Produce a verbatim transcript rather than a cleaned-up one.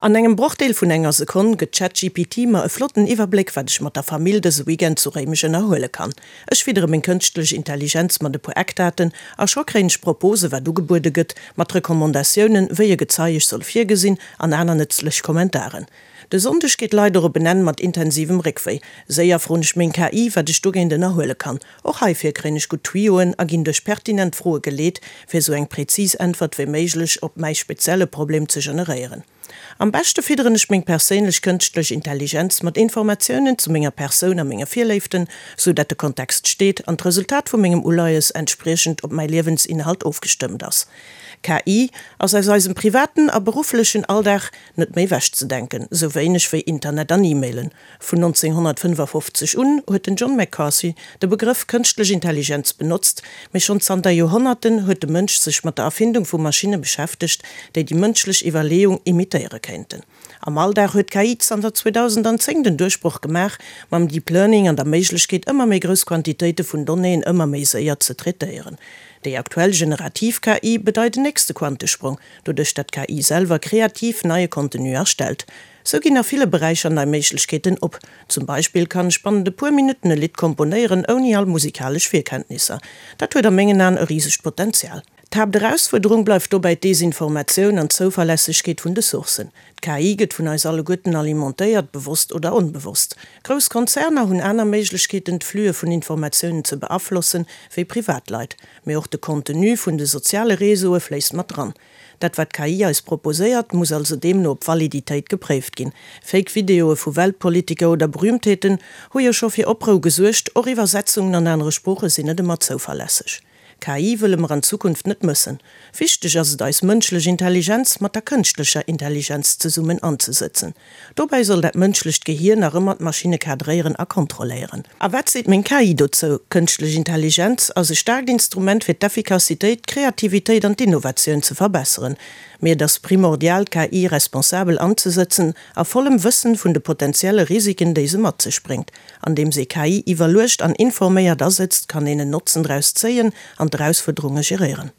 An engem Brochdeel vun enger Sekonn gëtt ChatGPT mer e flotten Iwwerbléck, wat ech mat der Famill dëse Weekend zu Réimech ënnerhuele kann. Ech fiddere meng kënschtlech Intelligenz mat e puer Eckdaten a scho kréien ech Propose wat ugebuede gëtt, mat Recommandatiounen, wéi e Gezei ech soll virgesinn an aner nëtzlech Kommentaren. De Sonndeg geet leider op en Enn mat intensivem Réckwéi. Séier froen ech meng K I, wat ech dogéint ënnerhuele kann. Och heifir kréien ech gutt Tuyauxen a ginn duerch pertinent Froe geleet, fir sou eng präzis Äntwert wéi méiglech op mäi spezielle Problem ze generéieren. Am beschte fidderen ech meng perséinlech kënschtlech Intelligenz mat Informatiounen zu menger Persoun a menge Virléiften, sou dat de Kontext steet an d'Resultat vu mengem Uleies entspriechend op mäi Liewensinhalt ofgestëmmt ass. K I ass aus eisem privaten a berufflechen Alldag net méi ewechzedenken, sou wéineg wéi Internet an E-Mailen. Vun nonzénghonnertfënnefafofzeg un huet den John McCarthy de Begrëff kënschtlech Intelligenz benotzt, mee schonn zanter Joerhonnerten huet de Mënsch sech mat der Erfindung vu Maschinne beschäftegt, déi déi mënschlech Iwwerleeung imitéiere kéinten. Am Alldag huet d'K I zanter zweedausendzéng den Duerchbroch gemaach, mam Deep Learning an der Méiglechkeet ëmmer méi grouss Quantitéite vun Donnéeën ëmmer méi séier ze traitéieren. Déi aktuell generativ K I bedeit den nächste Quantesprong, doduerch dat d'K I selwer kreativ neie Contenu erstellt. Sou ginn a ville Beräicher nei Méiglechkeeten op. Zum Beispill kann ech bannent e puer Minutten e Lidd komponéieren, ouni all musikalesch Virkenntnisser. Dat huet a mengen Aen e risegt Potenzial. D'Haapterausfuerderung bleift dobäi d'Desinformatioun an d'Zouverlässegkeet vun de Sourcen. D'K I gëtt vun eis alleguerten alimentéiert, bewosst oder onbewosst. Grouss Konzerner hunn aner Méiglechkeeten, d'Flüe vun Informatiounen ze beaflossen, wéi Privatleit. Mee och de Contenu vun de soziale Reseaue fléisst mat dran. Dat wat d'K I eis proposéiert, muss also deemno op Validitéit gepréift ginn. Fake Videoe vu Weltpolitiker oder Berüümtheeten hu jo scho fir Oprou gesuergt, och Iwwersetzungen an anere Sprooche sinn net ëmmer zouverlässeg. K I wëlle mer an Zukunft net mëssen. Wichteg ass et eis mënschlech Intelligenz mat der kënschtlecher Intelligenz zesummen anzesëtzen. Dobäi soll dat mënschlecht Gehier nach ëmmer d'Maschinne kadréieren a kontrolléieren. A wat seet meng K I dozou? Kënschtlech Intelligenz ass e staarkt Instrument fir d'Effikassitéit, d'Kreativitéit an d'Innovatioun ze verbesseren. Mee et ass primordial d'K I responsabel anzesëtzen a vollem Wëssen vun de potenzielle Risiken déi se mat sech bréngt. Andeems ee K I iwwerluecht an informéiert asëtzt, kann een en Notzen draus zéien an d'Erausfuerderunge geréieren.